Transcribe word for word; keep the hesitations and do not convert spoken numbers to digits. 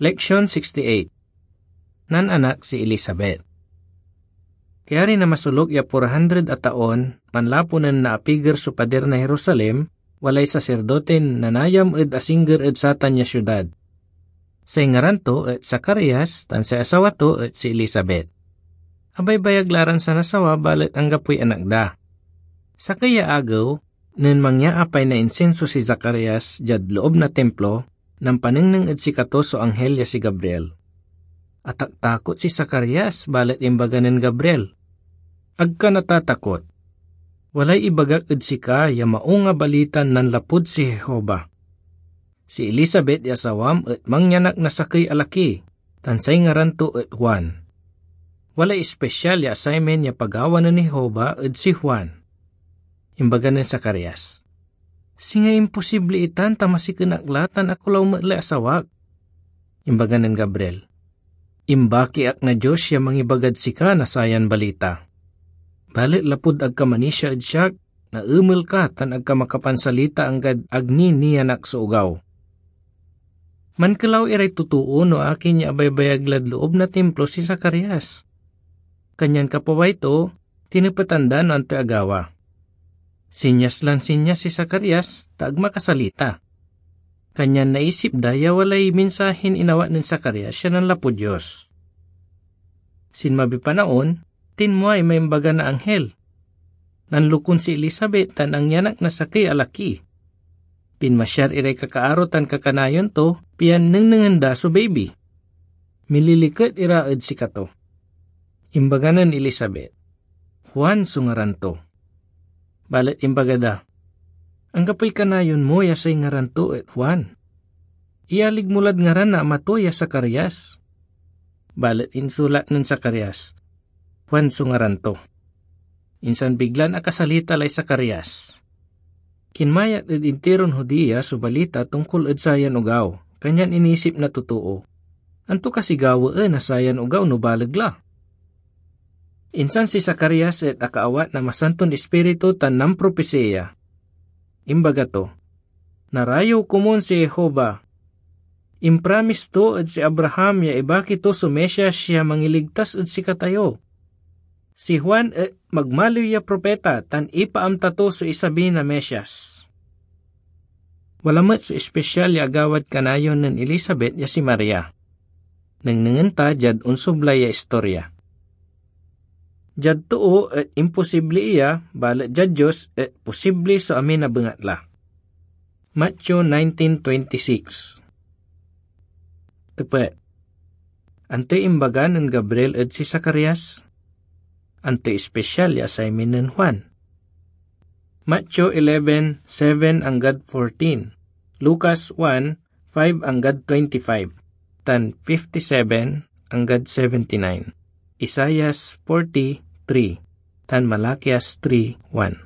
Leksyon sixty-eight. Nananak si Elizabeth. Kayari na masoluk ya four hundred a taon, manlapu nen naapiger so padir na Jerusalem, walay saserdoten nanayam ed asingger ed satan ya siudad. Say ngaran to et Zacarias, tan say asawa to et si Elizabeth. Abaybayag la ran sanasawa, balet anggapoy anak da. Sakey ya agew, nen mangyaapay na insinso si Zacarias diad loob na Timplo, nampanengneng ed sikato so anghel ya si Gabriel. Ataktakot si Zacarias, balet imbaga nen Gabriel, "Ag ka natatakot. Walay ibagak ed sika ya maung a balita nanlapud si Jehovah. Si Elizabeth ya asawam et mangyanak na sakey a laki, tan say ngaran to et Juan. Walay espesyal ya assignment ya pagawa nen Jehovah ed si Juan." Imbaga nen Zacarias, "Singa imposible itan ta masiken ak la tan akulaw met lay asawak." Imbaga nen Gabriel, "Imbaki ak na Dios ya mangibagad sika na sayan balita. Balet lapud ag ka manisia ed siak, naemel ka tan ag ka makapansalita anggad ag ni nianak so ogaw." Mankelaw iray totoo no akin ya abaybayag lad loob na Timplo si Zacarias. Kanyan kapaway to, tinepetan da no antoy agawa. Sinyas lan sinyas si Zacarias, ta ag makasalita. Kanyan naisip da ya walay minsahin inawat nen Zacarias ya nanlapud Dios. Sinmabiy panaon, tinmuay may imbaga na anghel. Nanlukon si Elizabeth tan angyanak na sakey a laki. Pinmasyar iray kakaaro tan kakanayon to, pian nengnengen da so baby. Mililiket ira ed sikato. Imbaga nen Elizabeth, "Juan so ngaran to." Balet imbaga da, "Anggapoy kanayon mo ya say ngaran to et Juan. Iyalig mo lad ngaran na ama to ya Zacarias." Balet insulat nen Zacarias, "Juan so ngaran to." Insan biglan akasalita lay Zacarias. Kinmayat ed intiron Judea so balita tongkol ed sayan ogaw, kanyan inisip na totoo, "Anto kasiy gawaen na sayan ogaw no baleg la?" Insan si Zacarias et akaawat na Masanton Ispiritu tan nampropesiya. Imbaga to, "Narayew komun si Jehovah. Impramis to ed si Abraham ya ibaki to so Mesias ya mangiligtas ed sikatayo. Si Juan et magmaliw ya propeta tan ipaamta to so isabi na Mesias." Wala met so espesyal ya agawad kanayon nen Elizabeth ya si Maria. Nengnengen ta diad onsoblay ya istorya. Diad too et imposible iya, balet diad Dios et posible so amin a bengatla. Mateo nineteen twenty-six. Tepet, antoy imbaga nen Gabriel ed si Zacarias? Antoy espesyal ya assignment nen Juan? Mateo eleven seven anggad fourteen, Lucas one five anggad twenty-five, tan fifty-seven anggad seventy-nine, Isaias forty-three, tan Malakias three one.